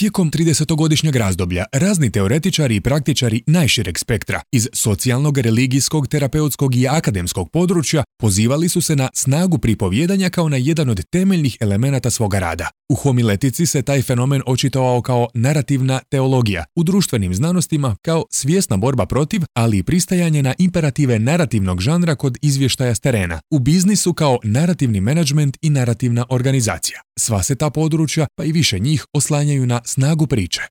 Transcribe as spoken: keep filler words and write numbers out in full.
Tijekom tridesetogodišnjeg razdoblja razni teoretičari i praktičari najšireg spektra iz socijalnog, religijskog, terapeutskog i akademskog područja pozivali su se na snagu pripovjedanja kao na jedan od temeljnih elemenata svoga rada. U homiletici se taj fenomen očitovao kao narativna teologija, u društvenim znanostima kao svjesna borba protiv, ali i pristajanje na imperative narativnog žanra kod izvještaja s terena, u biznisu kao narativni menadžment i narativna organizacija. Sva se ta područja, pa i više njih, oslanjaju na snagu priče.